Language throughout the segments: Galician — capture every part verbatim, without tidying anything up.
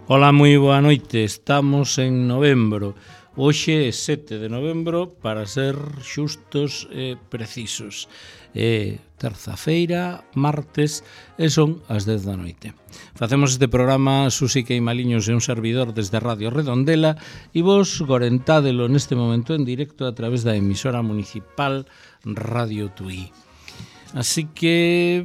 Ola, moi boa noite. Estamos en novembro. Hoxe é sete de novembro, para ser xustos e precisos. É terza-feira, martes, e son as dez da noite. Facemos este programa Susi Queimaliños e un servidor desde Radio Redondela e vos gorentádelo neste momento en directo a través da emisora municipal Radio Tuí. Así que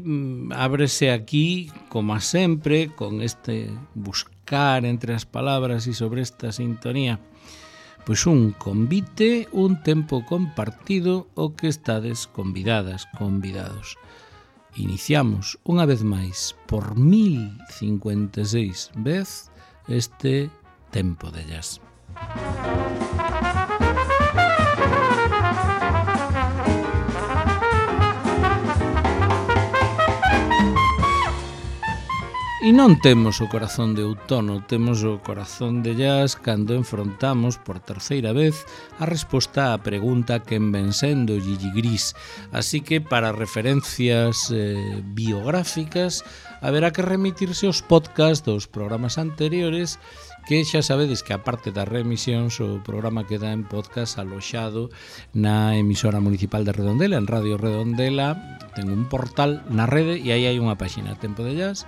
ábrese aquí, como sempre, con este buscar entre as palabras e sobre esta sintonía, pois un convite, un tempo compartido o que estades convidadas, convidados. Iniciamos unha vez máis por mil cincuenta e seis vez este tempo de jazz. E non temos o corazón de outono, temos o corazón de jazz cando enfrontamos por terceira vez a resposta á pregunta quen ven sendo Gigi Gris. Así que para referencias eh, biográficas haberá que remitirse aos podcast dos programas anteriores, que xa sabedes que aparte das remisións o programa queda en podcast aloxado na emisora municipal de Redondela, en Radio Redondela. Ten un portal na rede e aí hai unha páxina, Tempo de Jazz,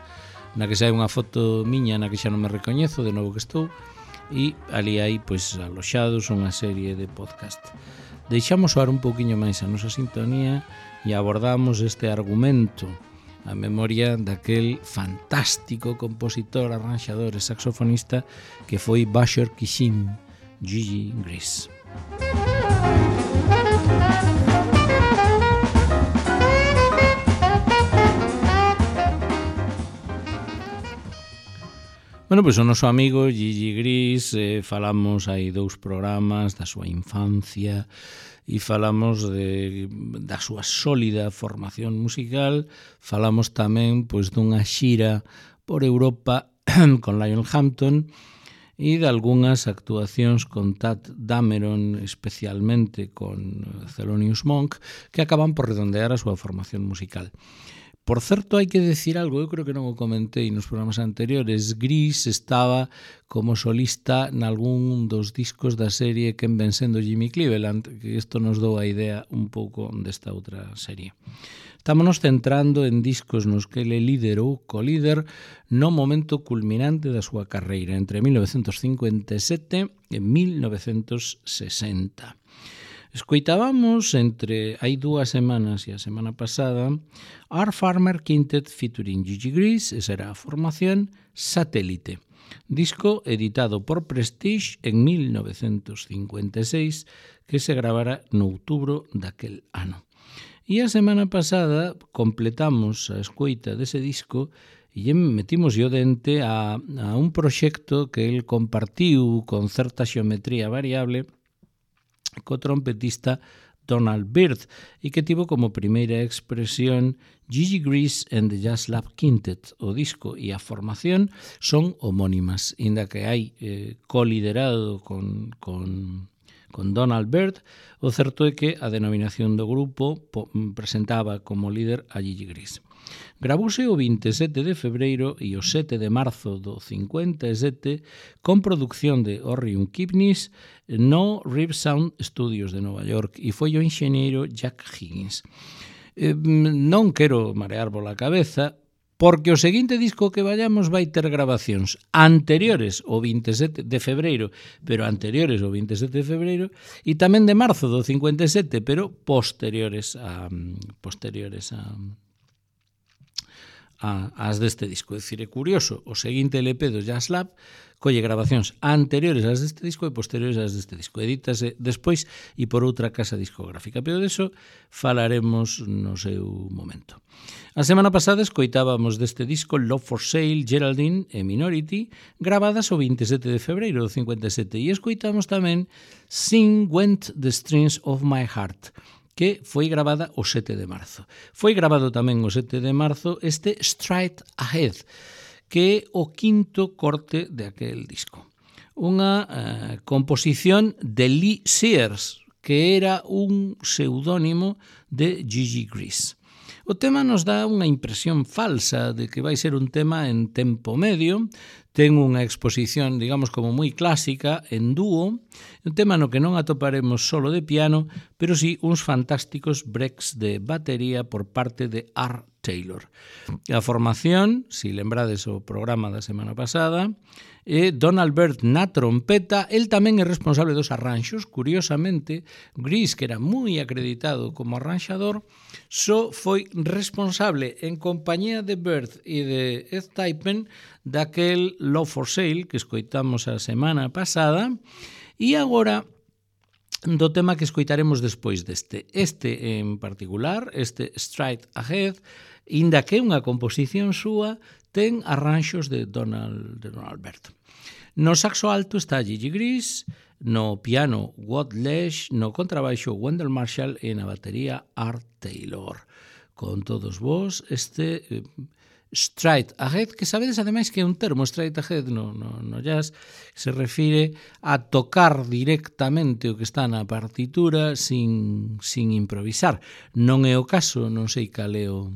na que sai unha foto miña na que xa non me recoñezo, de novo que estou, e ali hai pois aloxados unha serie de podcast. Deixamos soar un pouquiño máis a nosa sintonía e abordamos este argumento a memoria daquel fantástico compositor, arranxador e saxofonista que foi Basher Kishim, Gigi Gris. Bueno, pois o noso amigo Gigi Gris, eh, falamos hai dous programas da súa infancia e falamos de, da súa sólida formación musical. Falamos tamén pois dunha xira por Europa con Lionel Hampton e de algunhas actuacións con Tadd Dameron, especialmente con Thelonious Monk, que acaban por redondear a súa formación musical. Por certo, hai que decir algo, eu creo que non o comentei nos programas anteriores. Gris estaba como solista nalgún dos discos da serie Quen ven sendo Jimmy Cleveland, que isto nos dou a idea un pouco desta outra serie. Estámonos centrando en discos nos que ele líder ou co-líder no momento culminante da súa carreira, entre mil novecentos cincuenta e sete e mil novecentos sesenta. Escoitábamos entre hai dúas semanas e a semana pasada Art Farmer Quintet featuring Gigi Gris, esa era a formación Satélite, disco editado por Prestige en mil novecentos cincuenta e seis que se gravara no outubro daquel ano. E a semana pasada completamos a escoita dese disco e metimos o dente a, a un proxecto que el compartiu con certa xeometría variable co trompetista Donald Byrd e que tivo como primeira expresión Gigi Gris and the Jazz Lab Quintet. O disco e a formación son homónimas, inda que hai eh, coliderado con, con, con Donald Byrd. O certo é que a denominación do grupo po, presentaba como líder a Gigi Gris. Gravouse o vinte e sete de febreiro e o sete de marzo do cincuenta e sete con producción de Orion Kipnis no Rip Sound Studios de Nova York e foi o enxeñeiro Jack Higgins. Eh, non quero marear pola cabeza, porque o seguinte disco que vayamos vai ter grabacións anteriores ao vinte e sete de febreiro, pero anteriores ao vinte e sete de febreiro, e tamén de marzo do cincuenta e sete, pero posteriores a posteriores a as deste disco. É dicir, é curioso, o seguinte L P do Jazz Lab colle grabacións anteriores ás deste disco e posteriores ás deste disco. Edítase despois e por outra casa discográfica, pero deso falaremos no seu momento. A semana pasada escoitábamos deste disco Love for Sale, Geraldine e Minority, gravadas o vinte e sete de febreiro do cincuenta e sete, e escoitamos tamén Sing Went the Strings of My Heart, que foi gravada o sete de marzo. Foi gravado tamén o sete de marzo este Straight Ahead, que é o quinto corte de aquel disco. Unha eh, composición de Lee Sears, que era un pseudónimo de Gigi Gris. O tema nos dá unha impresión falsa de que vai ser un tema en tempo medio, ten unha exposición, digamos, como moi clásica, en dúo, un tema no que non atoparemos solo de piano, pero sí uns fantásticos breaks de batería por parte de Art Taylor. A formación, si lembrades o programa da semana pasada, é Donald Byrd na trompeta, el tamén é responsable dos arranxos, curiosamente, Grease, que era moi acreditado como arranxador, só foi responsable en compañía de Byrd e de Ed Typen daquel Love for Sale que escoitamos a semana pasada, e agora do tema que escoitaremos despois deste. Este en particular, este Straight Ahead, inda que é unha composición súa, ten arranxos de Donald, de Donald Byrd. No saxo alto está Gigi Grease, no piano Watt Lesh, no contrabaixo Wendell Marshall e na batería Art Taylor. Con todos vos, este eh, Straight Ahead, que sabedes ademais que é un termo Straight Ahead no, no, no jazz, se refire a tocar directamente o que está na partitura sin, sin improvisar. Non é o caso, non sei cal é o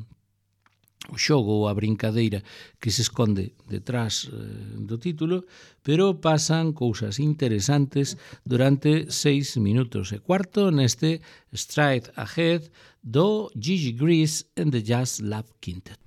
o xogo ou a brincadeira que se esconde detrás eh, do título, pero pasan cousas interesantes durante seis minutos e cuarto neste Straight Ahead do Gigi Grease and the Jazz Lab Quintet.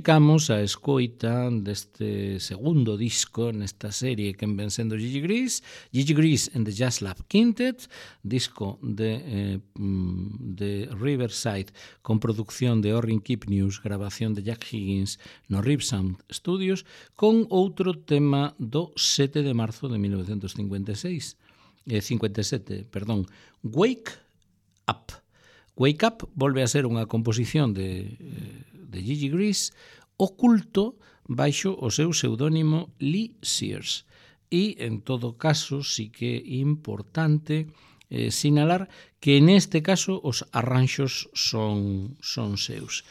dedicamos a escoita deste segundo disco nesta serie que ven sendo Gigi Gris, Gigi Gris and the Jazz Lab Quintet, disco de, eh, de Riverside con producción de Orrin Kipnius, grabación de Jack Higgins no Ripsound Studios, con outro tema do sete de marzo de mil novecentos cincuenta e seis, eh, cincuenta e sete, perdón, Wake Up. Wake Up volve a ser unha composición de, de Gigi Gris oculto baixo o seu pseudónimo Lee Sears. E, en todo caso, sí que é importante eh, sinalar que neste caso os arranxos son, son seus.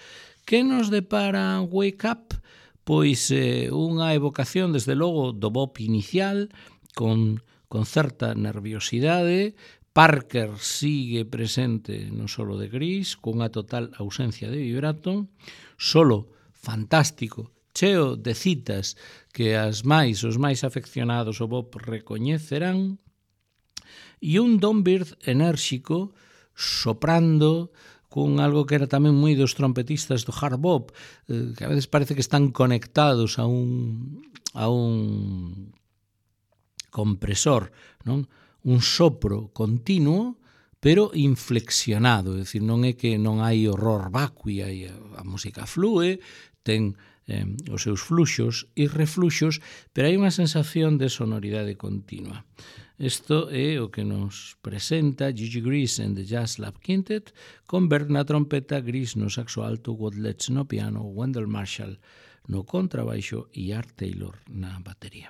Que nos depara Wake Up? Pois eh, unha evocación, desde logo, do bop inicial, con, con certa nerviosidade. Parker sigue presente no solo de Gris, cunha total ausencia de vibrato, solo fantástico, cheo de citas que as máis, os máis afeccionados ao bop recoñecerán, e un Don Byrd enérxico soprando con algo que era tamén moi dos trompetistas do hard bop, que a veces parece que están conectados a un, a un compresor, non? Un sopro continuo, pero inflexionado, é dicir, non é que non hai horror vacui, hai a música flúe, ten eh, os seus fluxos e refluxos, pero hai unha sensación de sonoridade continua. Isto é o que nos presenta Gigi Gris and the Jazz Lab Quintet, con Byrd na trompeta, Gris no saxo alto, Wadlets no piano, Wendell Marshall no contrabaixo e Art Taylor na batería.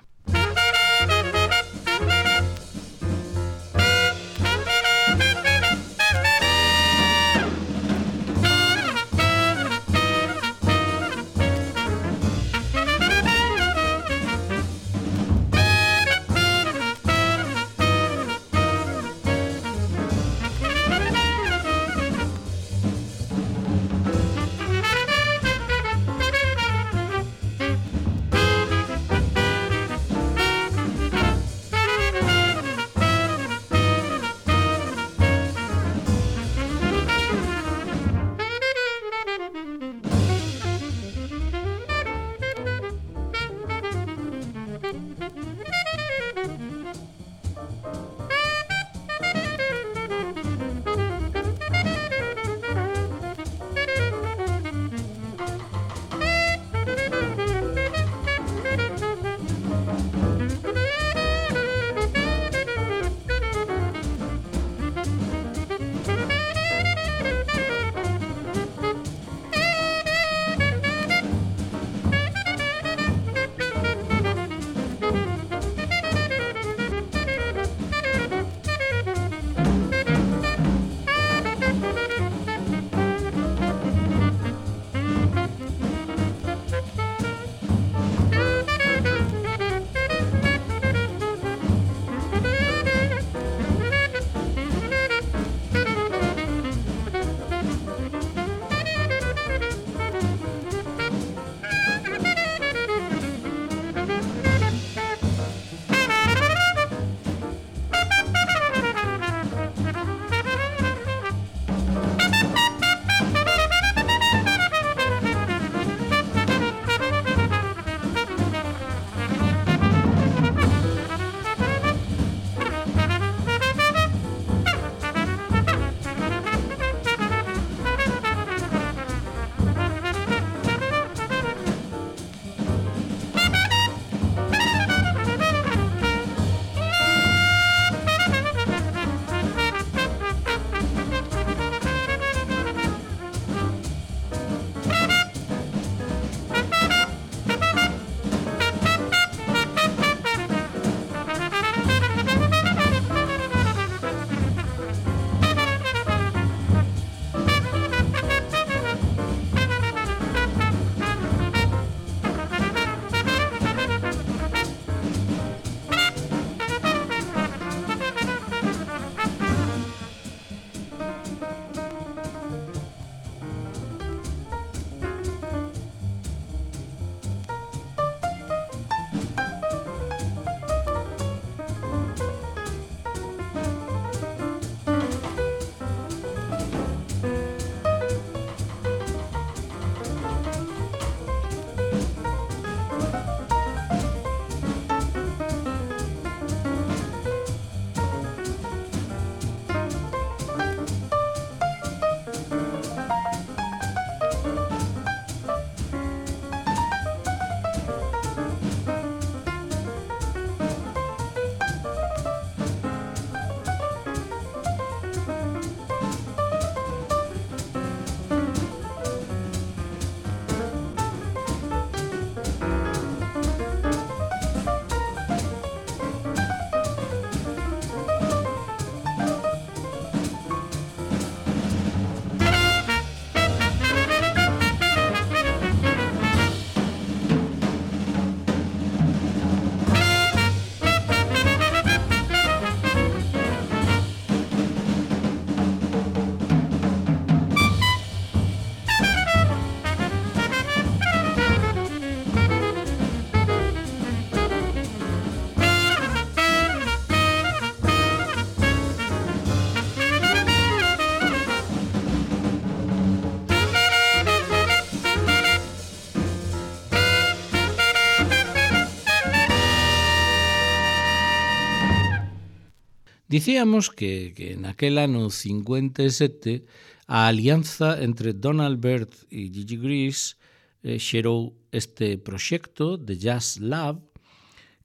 Dicíamos que, que naquel ano cincuenta e sete a alianza entre Donald Byrd e Gigi Gris eh, xerou este proxecto de Jazz Lab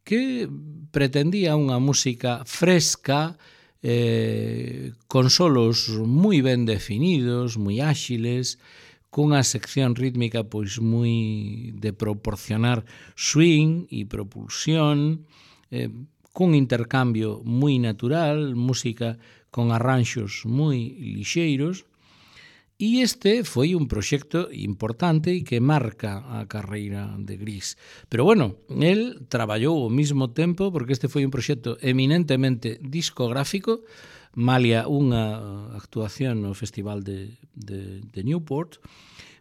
que pretendía unha música fresca, eh, con solos moi ben definidos, moi áxiles, cunha sección rítmica pois moi de proporcionar swing e propulsión, eh, cun intercambio moi natural, música con arranxos moi lixeiros. E este foi un proxecto importante e que marca a carreira de Gris. Pero bueno, el traballou ao mesmo tempo, porque este foi un proxecto eminentemente discográfico, malia unha actuación no Festival de, de, de Newport,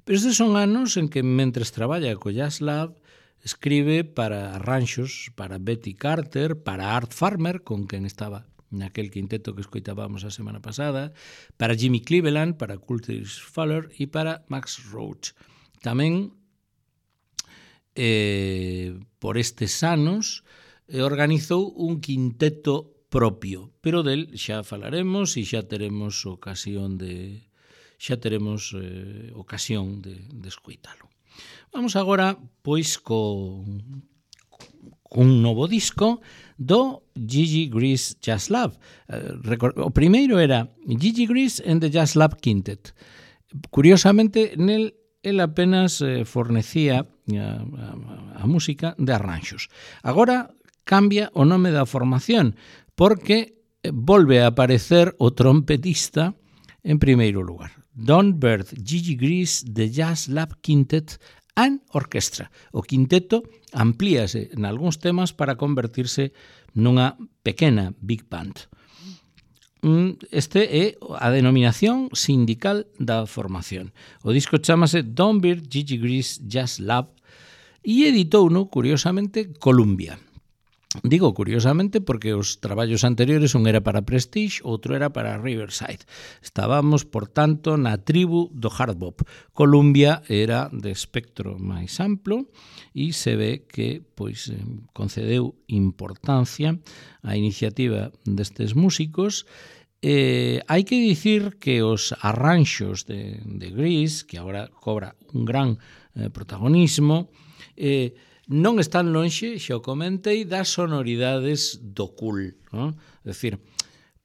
pero estes son anos en que, mentres traballa co Jazz Lab, escribe para arranxos para Betty Carter, para Art Farmer, con quen estaba naquel quinteto que escoitábamos a semana pasada, para Jimmy Cleveland, para Curtis Fuller e para Max Roach. Tamén, eh, por estes anos, eh, organizou un quinteto propio, pero del xa falaremos e xa teremos ocasión de xa teremos eh, ocasión de, de escoitalo. Vamos agora, pois, co un novo disco do Gigi Gris Jazz Lab. O primeiro era Gigi Gris and the Jazz Lab Quintet. Curiosamente, nel el apenas fornecía a, a, a música de arranxos. Agora cambia o nome da formación, porque volve a aparecer o trompetista en primeiro lugar. Don Byrd, Gigi Gris, The Jazz Lab Quintet and Orchestra. O quinteto amplíase en algúns temas para convertirse nunha pequena big band. Este é a denominación sindical da formación. O disco chamase Don Byrd, Gigi Gris Jazz Lab e editouno, curiosamente, Columbia. Digo curiosamente porque os traballos anteriores un era para Prestige, outro era para Riverside. Estábamos, por tanto, na tribu do hard bop. Columbia era de espectro máis amplo e se ve que pois concedeu importancia á iniciativa destes músicos. Eh, hai que dicir que os arranxos de, de Gris, que agora cobra un gran eh, protagonismo, eh, non están lonxe, xa o comentei, das sonoridades do cool, non? É dicir,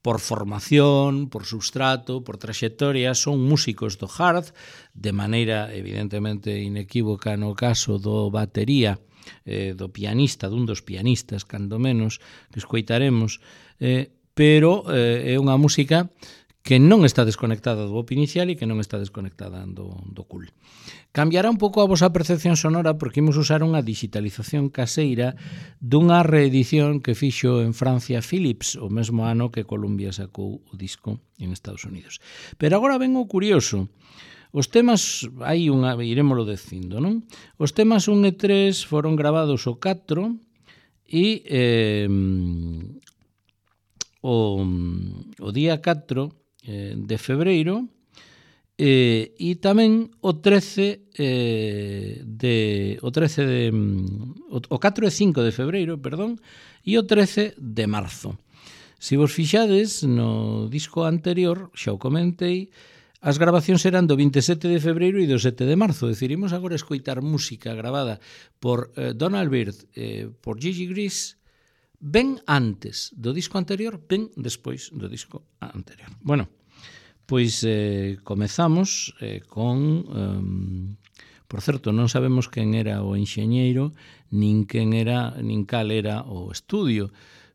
por formación, por substrato, por traxectoria, son músicos do hard, de maneira evidentemente inequívoca no caso do batería, eh, do pianista, dun dos pianistas, cando menos, que escoitaremos, eh, pero eh, é unha música que non está desconectada do bop inicial e que non está desconectada do, do cool. Cambiará un pouco a vosa percepción sonora porque imos usar unha digitalización caseira dunha reedición que fixo en Francia Philips o mesmo ano que Columbia sacou o disco en Estados Unidos. Pero agora ven o curioso. Os temas, hai unha, irémolo dicindo, non? Os temas un e tres foron gravados o catro e eh, o, o día catro de febreiro eh, e tamén o trece eh, de o trece de o, o catro e cinco de febreiro, perdón, e o trece de marzo. Se vos fixades no disco anterior, xa o comentei, as grabacións eran do vinte e sete de febreiro e do sete de marzo. Decidimos agora escoitar música gravada por eh, Donald Byrd, eh, por Gigi Gris, ben antes do disco anterior, ben despois do disco anterior. Bueno, pois eh, comezamos eh, con... Um, por certo, non sabemos quen era o enxeñeiro, nin quen era, nin cal era o estudio,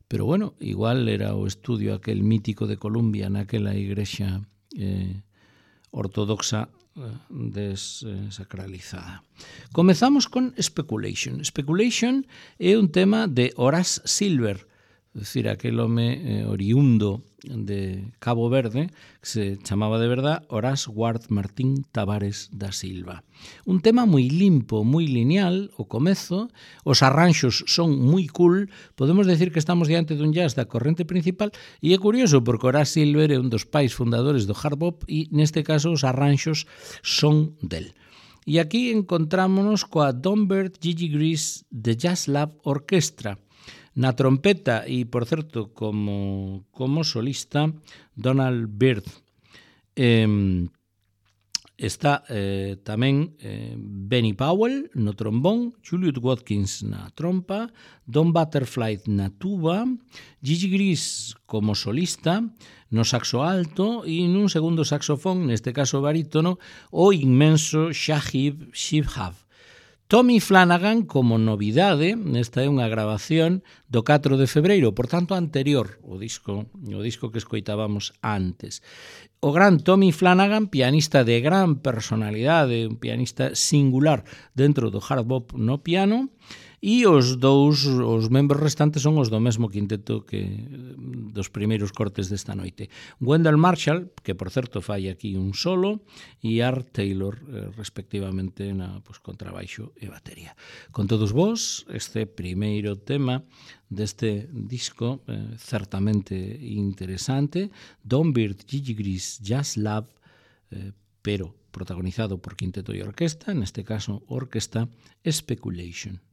pero bueno, igual era o estudio aquel mítico de Columbia naquela igrexa eh, ortodoxa desacralizada. Comezamos con Speculation. Speculation é un tema de Horace Silver, é dicir, aquel home eh, oriundo de Cabo Verde, que se chamaba de verdad Horace Ward Martín Tavares da Silva. Un tema moi limpo, moi lineal, o comezo, os arranxos son moi cool, podemos decir que estamos diante dun jazz da corrente principal, e é curioso porque Horace Silver é un dos pais fundadores do hard bop e neste caso os arranxos son del. E aquí encontrámonos coa Don Byrd, Gigi Gris, The Jazz Lab Orchestra. Na trompeta e, por certo, como, como solista, Donald Byrd. Eh, está eh, tamén eh, Benny Powell no trombón, Juliet Watkins na trompa, Don Butterfly na tuba, Gigi Gris como solista, no saxo alto e nun segundo saxofón, neste caso barítono, o inmenso Shahid Shihab. Tommy Flanagan como novidade, esta é unha grabación do catro de febreiro, por tanto anterior ao disco, o disco que escoitábamos antes. O gran Tommy Flanagan, pianista de gran personalidade, un pianista singular dentro do hard bop no piano, e os dous, os membros restantes son os do mesmo quinteto que dos primeiros cortes desta noite. Wendell Marshall, que por certo fai aquí un solo, e Art Taylor, eh, respectivamente, na pues, contrabaixo e batería. Con todos vos, este primeiro tema deste disco, eh, certamente interesante, Don Byrd, Gigi Gris, Jazz Lab, eh, pero protagonizado por quinteto e orquesta, neste caso orquesta Speculation.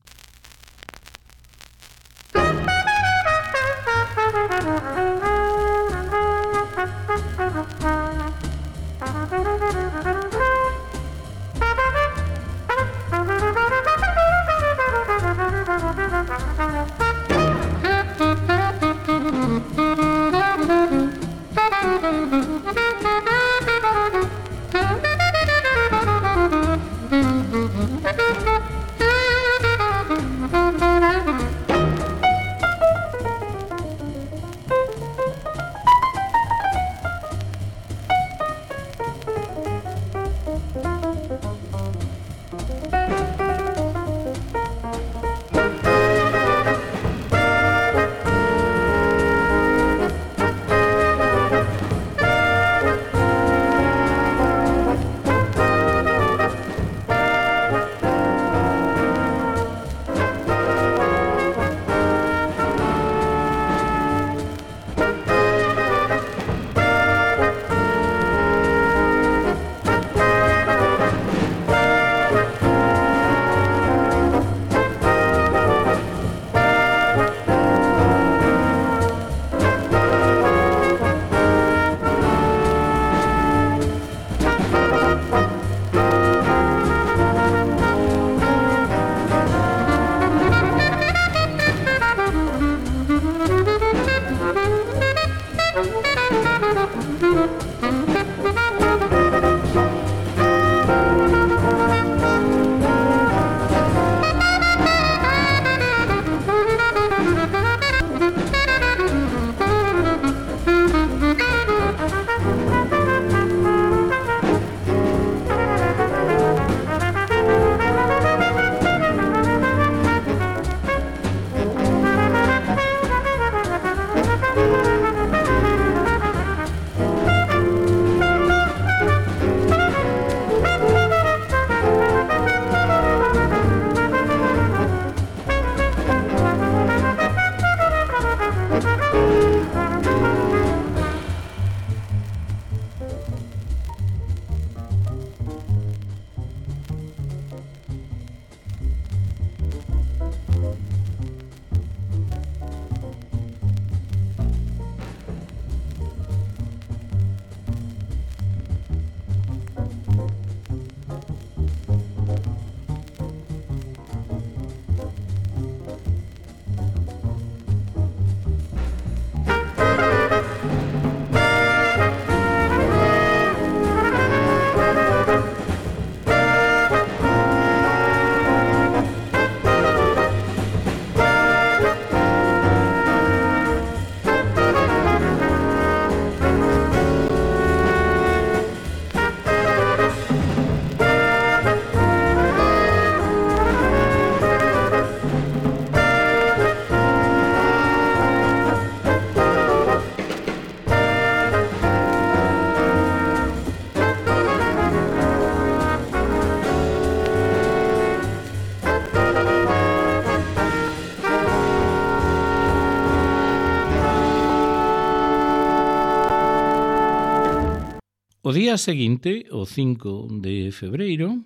O día seguinte, o cinco de febreiro,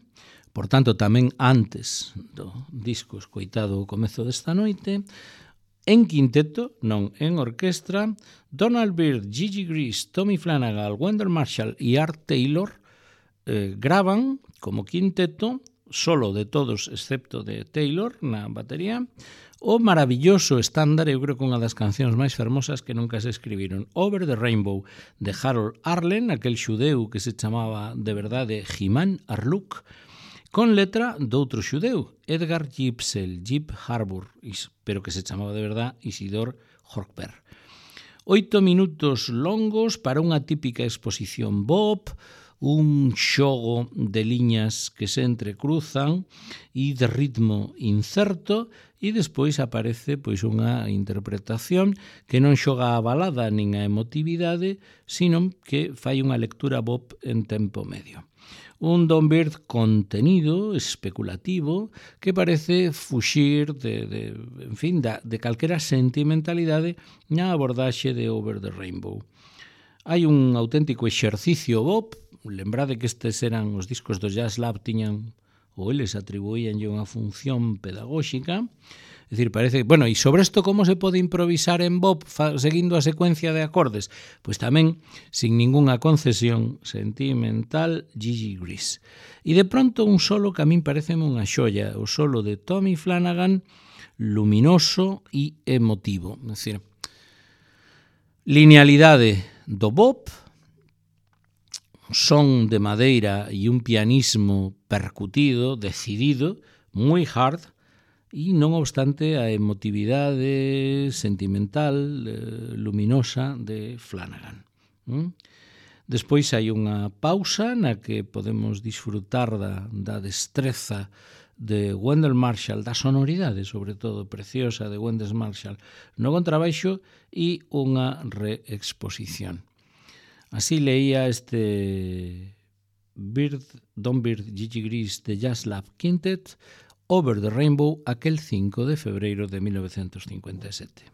por tanto tamén antes do disco escoitado o comezo desta noite, en quinteto, non en orquestra, Donald Byrd, Gigi Grease, Tommy Flanagan, Wendell Marshall e Art Taylor eh, gravan como quinteto, solo de todos excepto de Taylor na batería, o maravilloso estándar, eu creo que unha das cancións máis fermosas que nunca se escribiron, Over the Rainbow, de Harold Arlen, aquel xudeu que se chamaba de verdade Jimán Arluk, con letra doutro xudeu, Edgar Gypsel, Gyp Harbour, pero que se chamaba de verdade Isidor Horkberg. Oito minutos longos para unha típica exposición bop, un xogo de liñas que se entrecruzan e de ritmo incerto, e despois aparece pois unha interpretación que non xoga a balada nin a emotividade, sino que fai unha lectura bop en tempo medio. Un Don Byrd contenido, especulativo, que parece fuxir de, de, en fin, da, de calquera sentimentalidade na abordaxe de Over the Rainbow. Hai un auténtico exercicio bop, lembrade que estes eran os discos do Jazz Lab, tiñan, ou eles atribuíanlle unha función pedagóxica. É dicir, parece, bueno, e sobre isto como se pode improvisar en bop fa, seguindo a secuencia de acordes? Pois tamén, sin ningunha concesión sentimental, Gigi Grease. E de pronto un solo que a min pareceme unha xoia, o solo de Tommy Flanagan, luminoso e emotivo. É dicir, linealidade do bop, son de madeira e un pianismo percutido, decidido, moi hard, e non obstante a emotividade sentimental, eh, luminosa de Flanagan. ¿Mm? Despois hai unha pausa na que podemos disfrutar da, da destreza de Wendell Marshall, da sonoridade, sobre todo, preciosa de Wendell Marshall no contrabaixo, e unha reexposición. Así leía este Byrd, Don Byrd, Gigi Grease de Jazz Lab Quintet, Over the Rainbow, aquel cinco de febreiro de mil novecientos cincuenta e sete.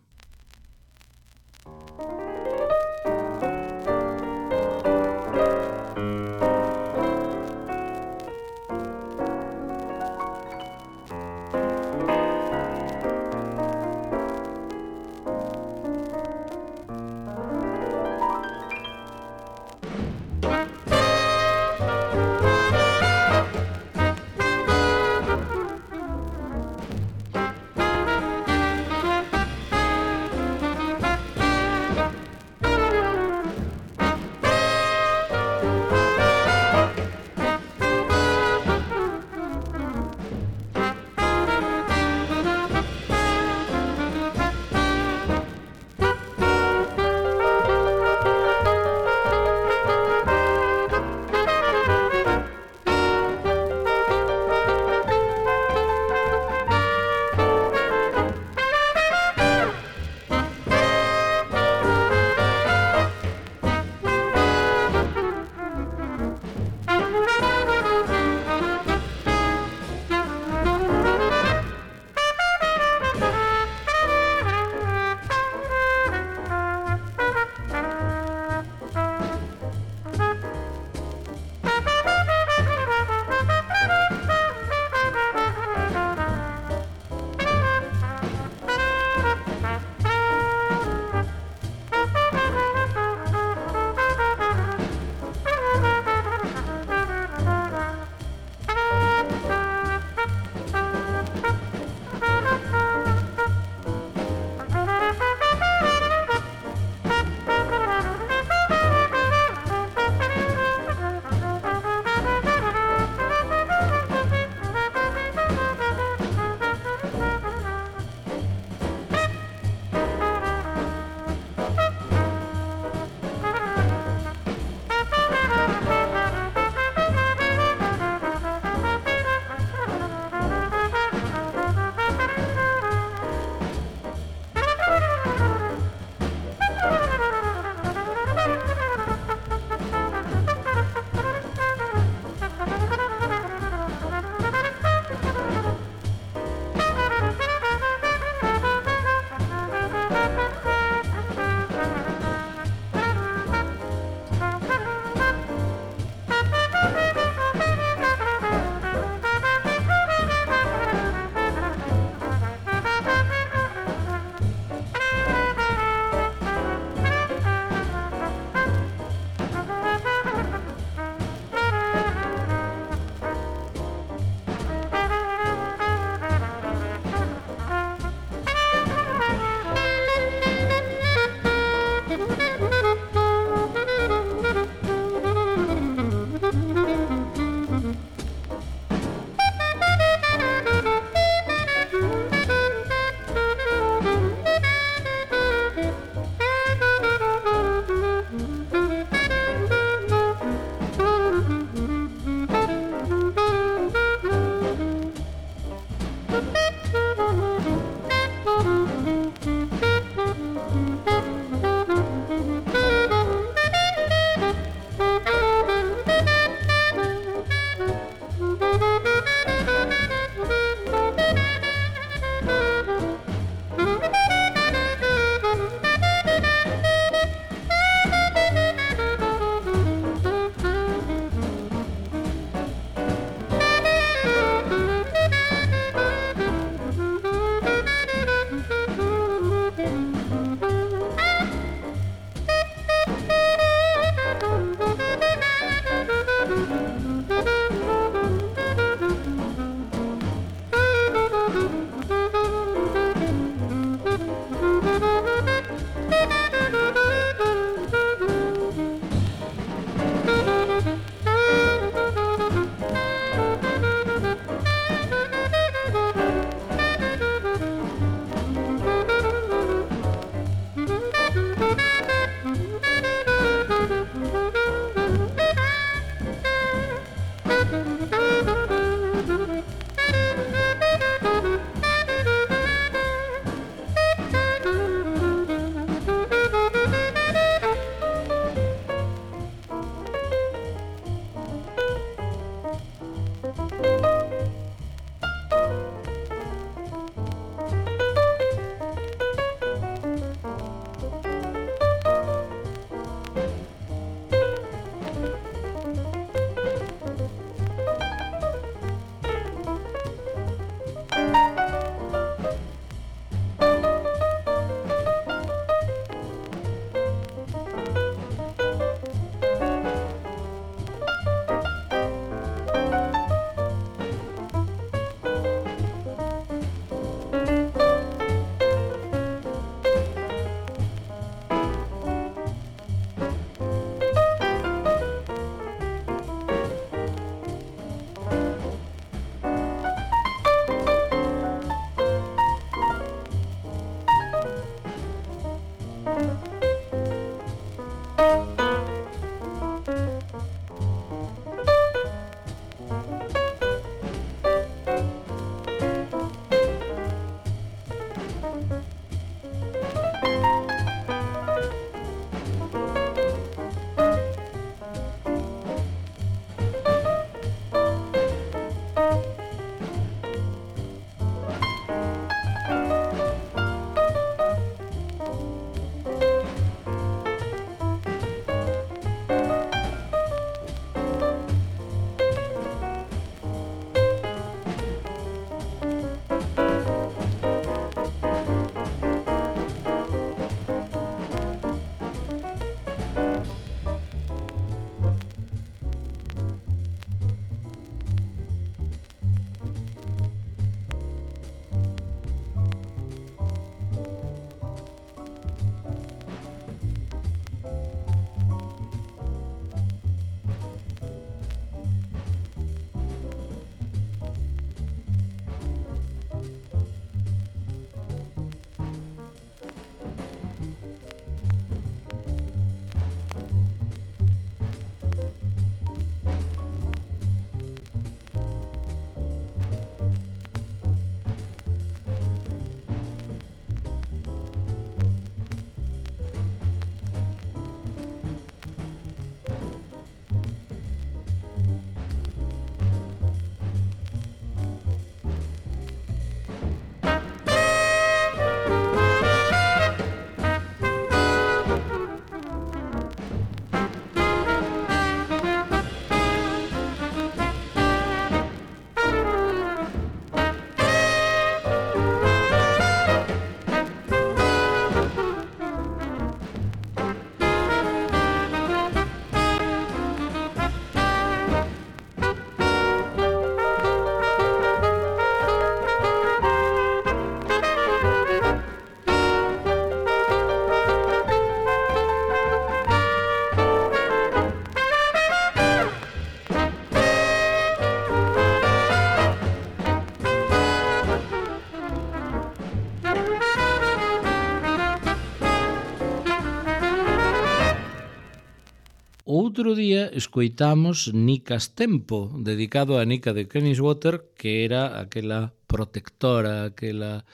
outro día escoitamos Nicas Tempo, dedicado a Nica de Kenniswater, que era aquela protectora, aquela,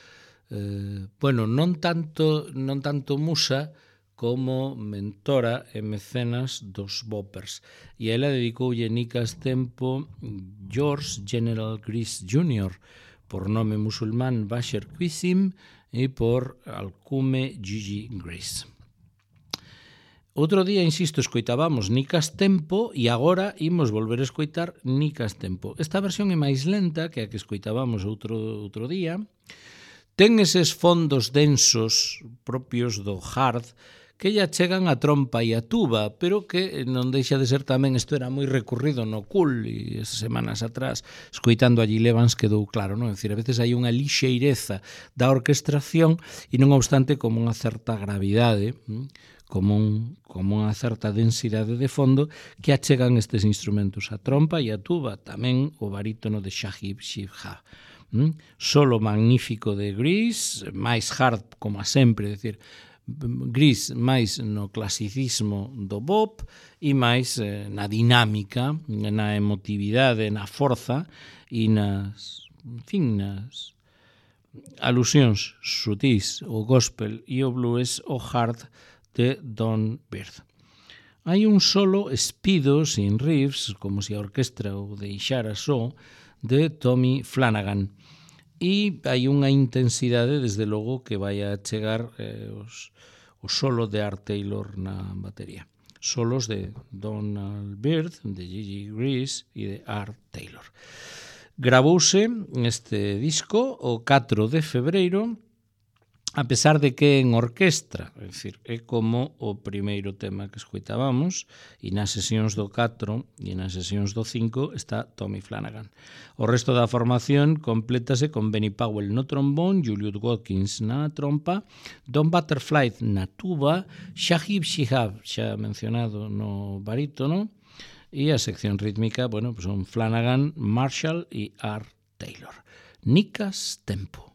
eh, bueno, non tanto, non tanto musa, como mentora e mecenas dos boppers. E ela dedicoulle Nicas Tempo George General Grease júnior, por nome musulmán Bashar Qasim e por alcume Gigi Grease. Outro día, insisto, escoitábamos Nicas Tempo e agora imos volver a escoitar Nicas Tempo. Esta versión é máis lenta que a que escoitábamos outro, outro día. Ten eses fondos densos propios do hard que ya chegan a trompa e a tuba, pero que non deixa de ser tamén, isto era moi recurrido no Cool e esas semanas atrás, escoitando a Gil Evans quedou claro, non? É dicir, a veces hai unha lixeireza da orquestración e non obstante como unha certa gravidade, como, un, como unha certa densidade de fondo que achegan estes instrumentos, a trompa e a tuba, tamén o barítono de Shahid Shihab. Mm? Solo magnífico de Grease, máis hard como a sempre, é dicir, Grease máis no clasicismo do bop e máis eh, na dinámica, na emotividade, na forza e nas, en fin, nas alusións sutís, o gospel e o blues, o hard de Don Byrd. Hai un solo espido sin riffs, como se a orquestra o deixara só, de Tommy Flanagan. E hai unha intensidade, desde logo, que vai a chegar eh, os, o solo de Art Taylor na batería. Solos de Donald Byrd, de Gigi Grease e de Art Taylor. Gravouse este disco o catro de febreiro, a pesar de que en orquestra, é dicir, é como o primeiro tema que escoitábamos, e nas sesións do catro e nas sesións do cinco está Tommy Flanagan. O resto da formación complétase con Benny Powell no trombón, Julius Watkins na trompa, Don Butterfly na tuba, Shahid Shihab, xa mencionado no barítono, e a sección rítmica, bueno, pues son Flanagan, Marshall e Art Taylor. Nicas Tempo.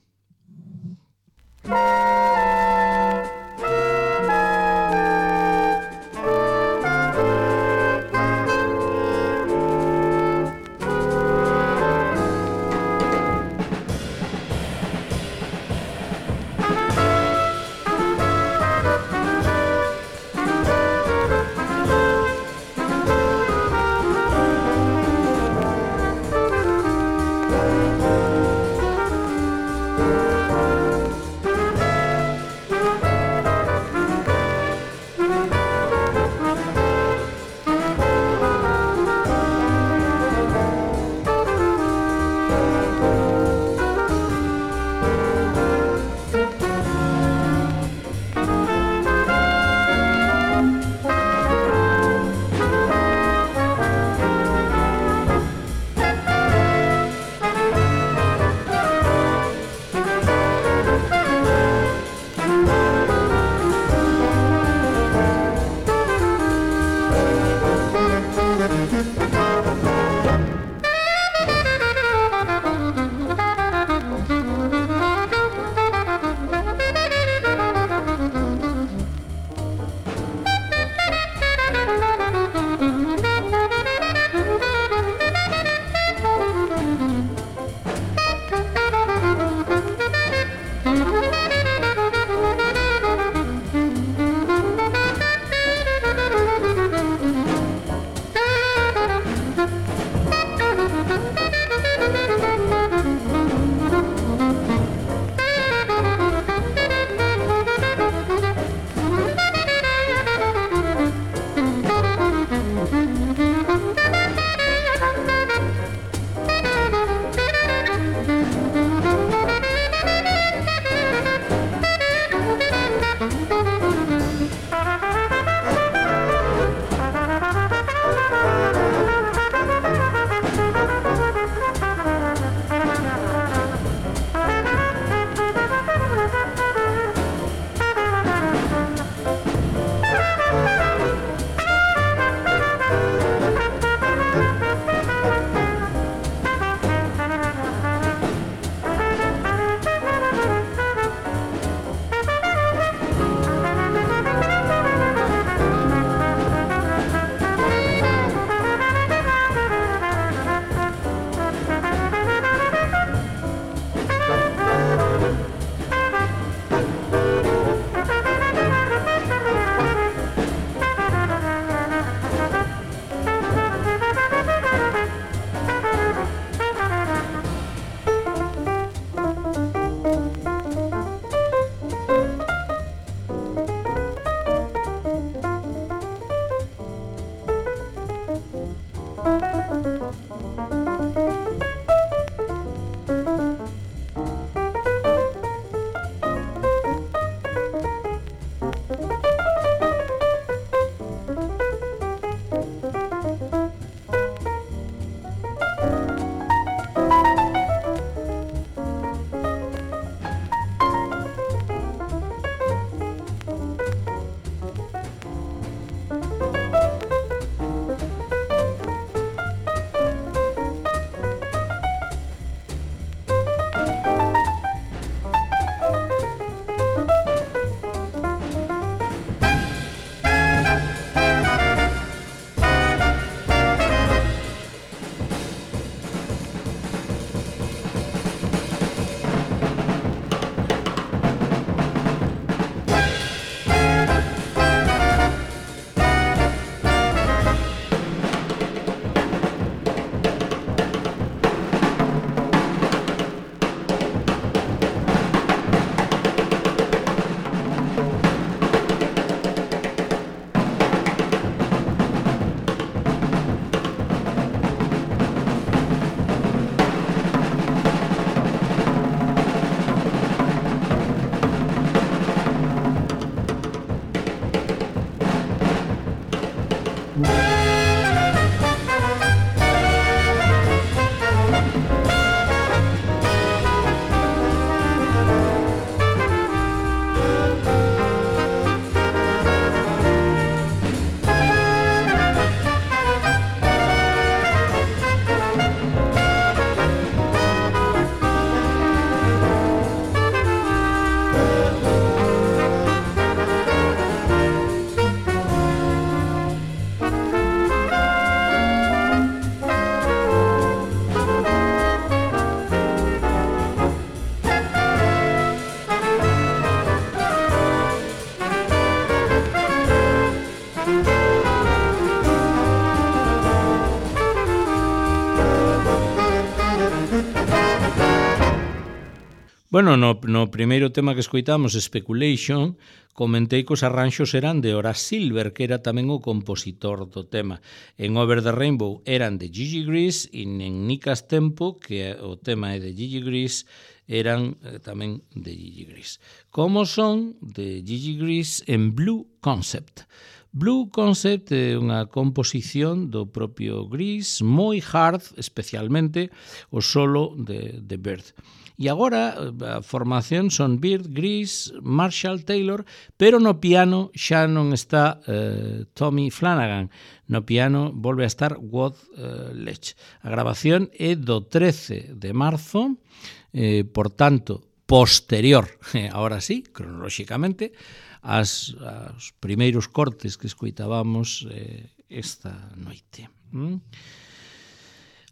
Bueno, no, no primeiro tema que escoitamos, Speculation, comentei que os arranxos eran de Horace Silver, que era tamén o compositor do tema. En Over the Rainbow eran de Gigi Grease e en Nicas Tempo, que o tema é de Gigi Grease, eran eh, tamén de Gigi Grease. Como son de Gigi Grease en Blue Concept. Blue Concept é unha composición do propio Grease, moi hard, especialmente o solo de, de Bird. E agora a formación son Bird, Grease, Marshall Taylor, pero no piano xa non está eh, Tommy Flanagan. No piano volve a estar Walt eh, Lech. A grabación é do trece de marzo, eh, por tanto, posterior, ahora sí, cronolóxicamente, as, as primeiros cortes que escoitábamos eh, esta noite. Mm?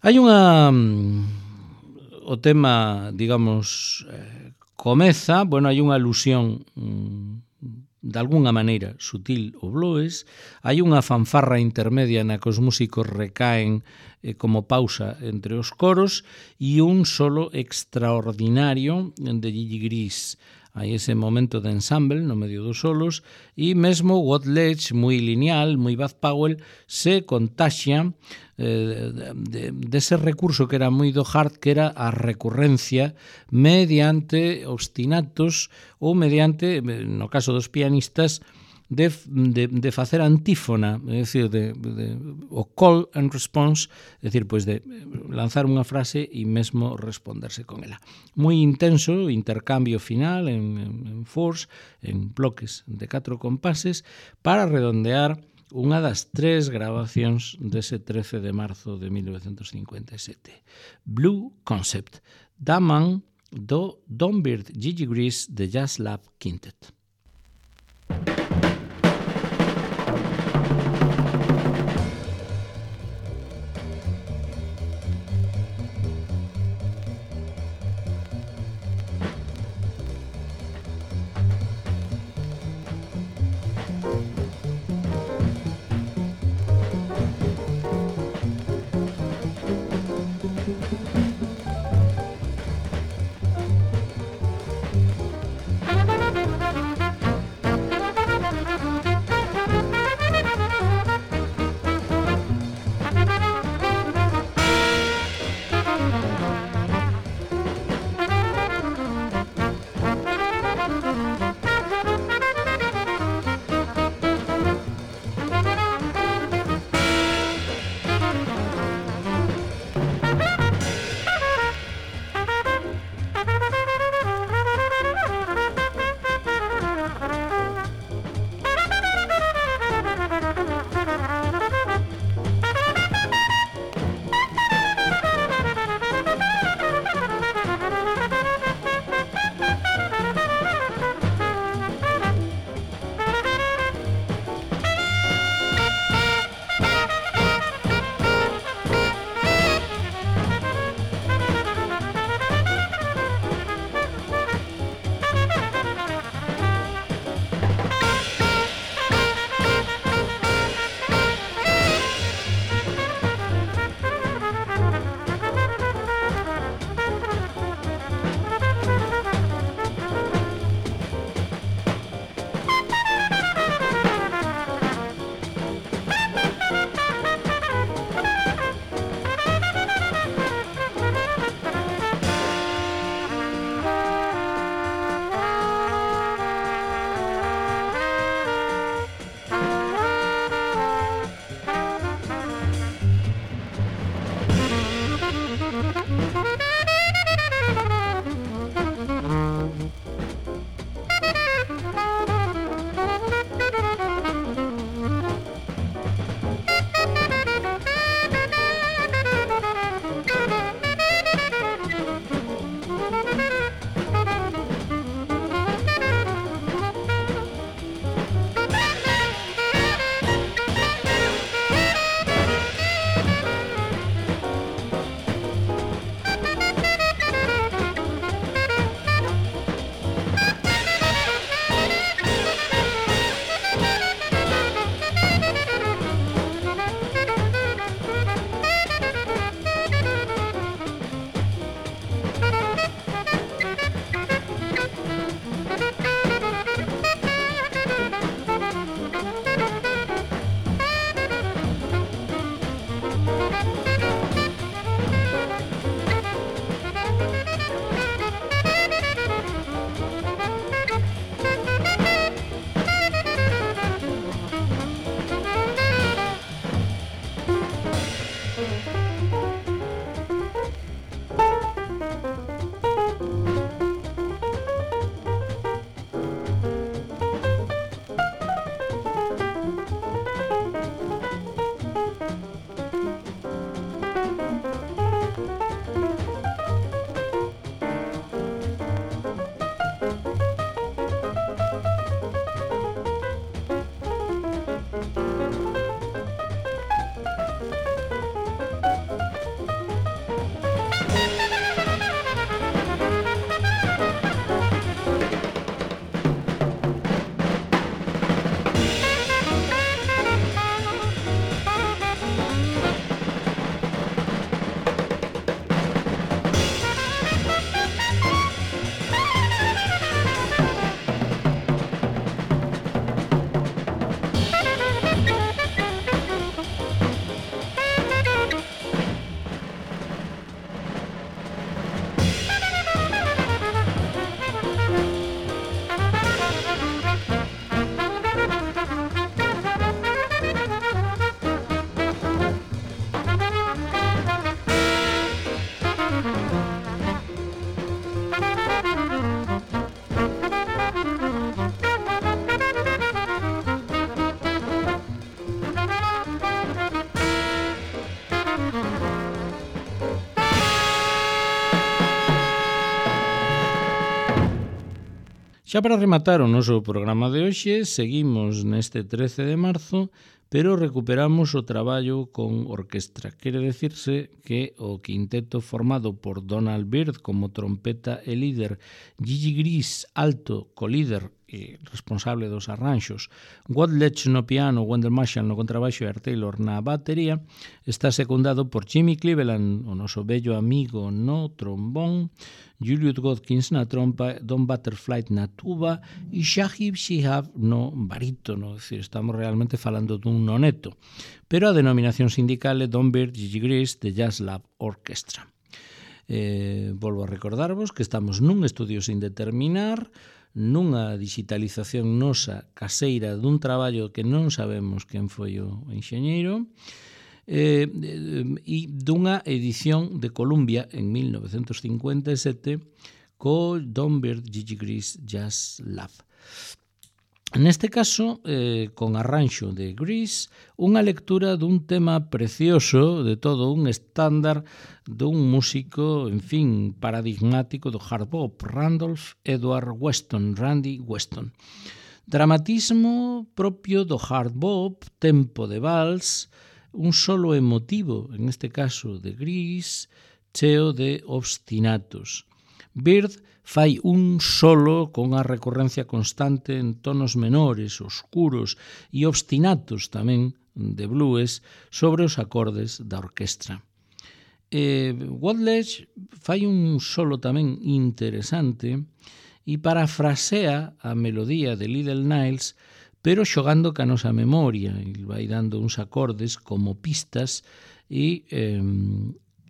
Hai unha... O tema, digamos, eh, comeza, bueno, hai unha alusión mm, de alguna maneira sutil ao blues, hai unha fanfarra intermedia na que os músicos recaen eh, como pausa entre os coros e un solo extraordinario de Gigi Grease. Hai ese momento de ensemble no medio dos solos e mesmo Walt Lech, moi lineal, moi Bud Powell, se contaxia eh, de, de ese recurso que era moi do hard, que era a recurrencia mediante ostinatos ou mediante, no caso dos pianistas, de, de, de facer antífona, é dicir, de, de, o call and response, é dicir, pois de lanzar unha frase e mesmo responderse con ela. Moi intenso, intercambio final en, en, en fours, en bloques de catro compases, para redondear unha das tres grabacións dese trece de marzo de mil novecentos cincuenta e sete. Blue Concept, da man do Don Bird Gigi Grease de Jazz Lab Quintet. Thank you. Xa para rematar o noso programa de hoxe, seguimos neste trece de marzo, pero recuperamos o traballo con orquestra. Quere decirse que o quinteto formado por Donald Byrd como trompeta e líder, Gigi Gris, alto, colíder e responsable dos arranxos, Wadledge no piano, Wendell Marshall no contrabaixo e Art Taylor na batería, está secundado por Jimmy Cleveland, o noso bello amigo no trombón, Julius Godkins na trompa, Don Butterfly na tuba e Shahib Shihab no barítono. É dicir, estamos realmente falando dun noneto. Pero a denominación sindical é Don Byrd Gigi Gris de Jazz Lab Orchestra. Eh, volvo a recordarvos que estamos nun estudio sin determinar, nunha digitalización nosa caseira dun traballo que non sabemos quen foi o enxeñeiro, eh, e dunha edición de Columbia en mil novecentos cincuenta e sete co Don Byrd Gigi Gris Jazz Lab. Neste caso, eh, con arranxo de Gris, unha lectura dun tema precioso, de todo un estándar dun músico, en fin, paradigmático do hard bop, Randolph Edward Weston, Randy Weston. Dramatismo propio do hard bop, tempo de vals, un solo emotivo, en este caso de Gris, cheo de obstinatos. Byrd fai un solo con a recurrencia constante en tonos menores, oscuros e obstinatos tamén de blues sobre os acordes da orquestra. Eh, Wadledge fai un solo tamén interesante e parafrasea a melodía de Little Niles, pero xogando ca nosa memoria, e vai dando uns acordes como pistas e, eh,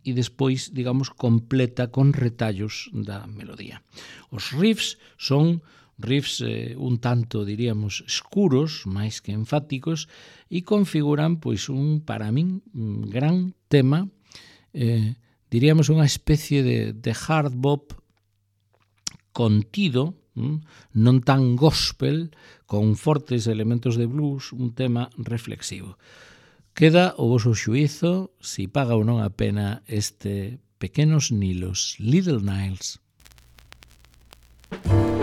e despois, digamos, completa con retallos da melodía. Os riffs son riffs eh, un tanto, diríamos, escuros, máis que enfáticos, e configuran, pois, un, para min, un gran tema, eh, diríamos, unha especie de, de hard bop contido, non tan gospel, con fortes elementos de blues, un tema reflexivo. Queda o voso xuízo si paga ou non a pena este Pequenos Nilos, Little Niles. Thank you.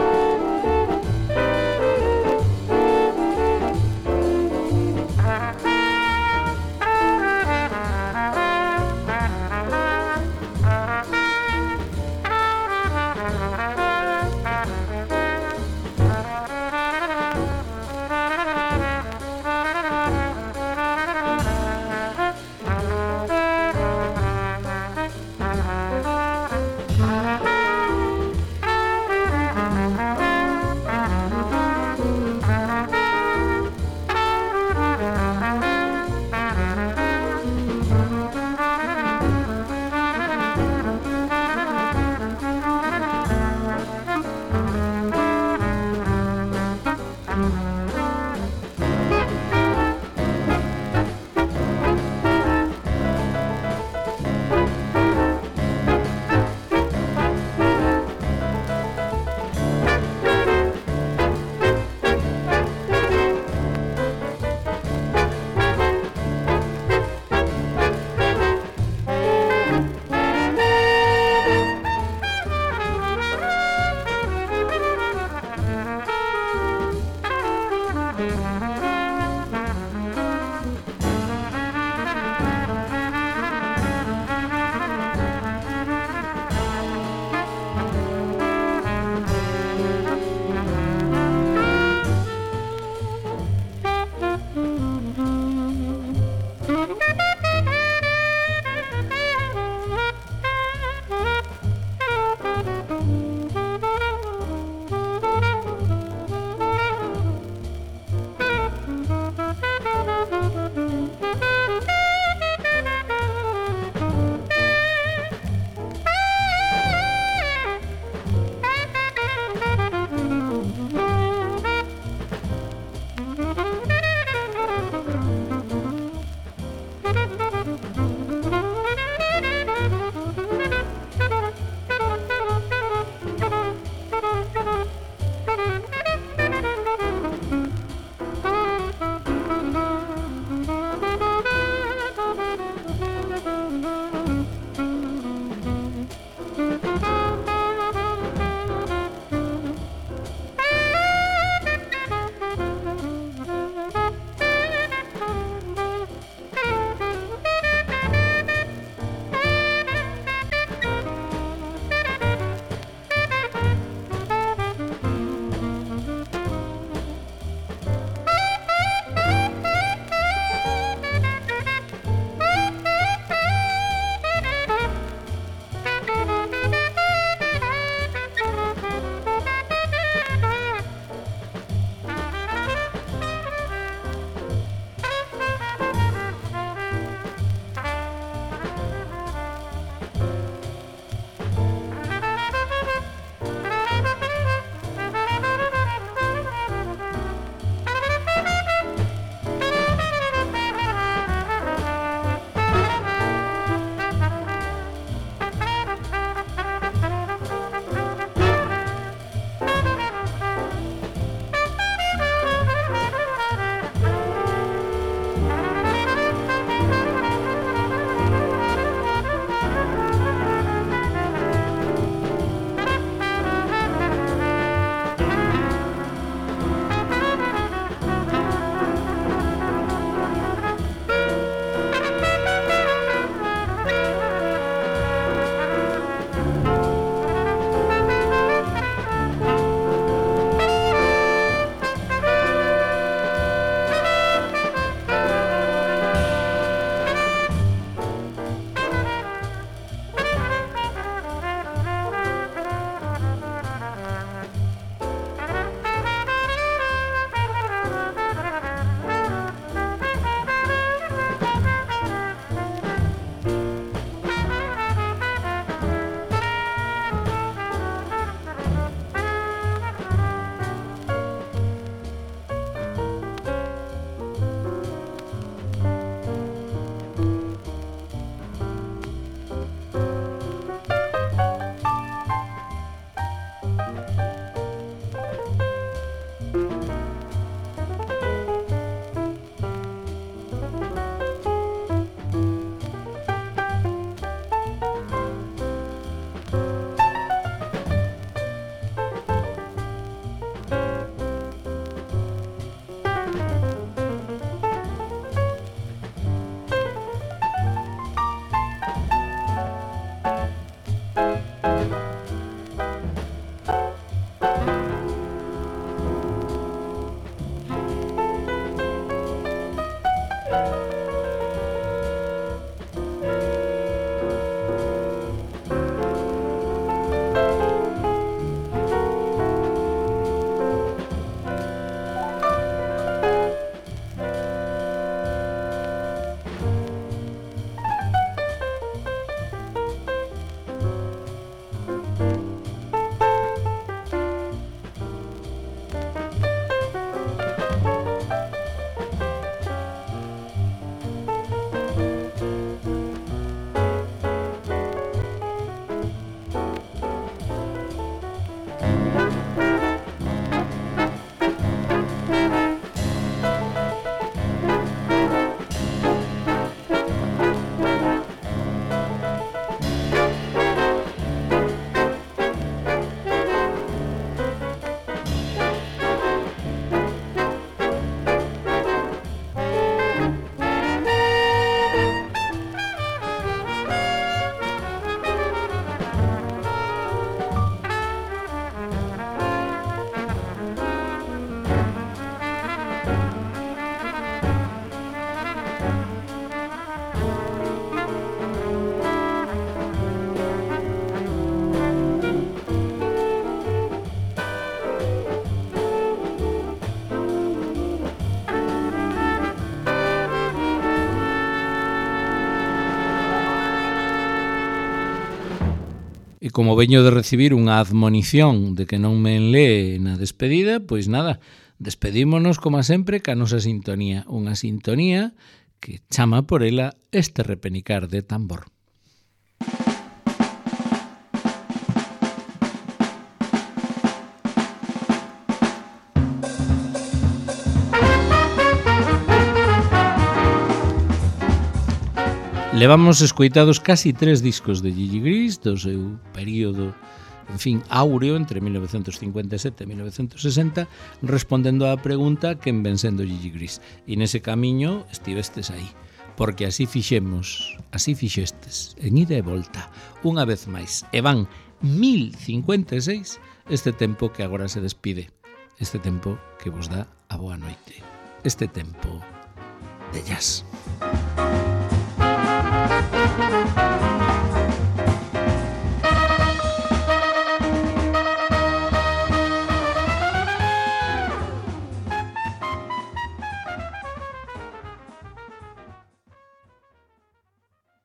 como veño de recibir unha admonición de que non me enlee na despedida, pois nada, despedímonos como sempre ca nosa sintonía, unha sintonía que chama por ela este repenicar de tambor. Levamos escoitados casi tres discos de Gigi Gris do seu período, en fin, áureo entre mil novecentos cincuenta e sete e mil novecentos sesenta, respondendo á pregunta quen ven sendo Gigi Gris. E nese camiño estivestes aí, porque así fixemos, así fixestes, en ida e volta, unha vez máis. E van mil cincuenta e seis este tempo que agora se despide, este tempo que vos dá a boa noite, este tempo de jazz.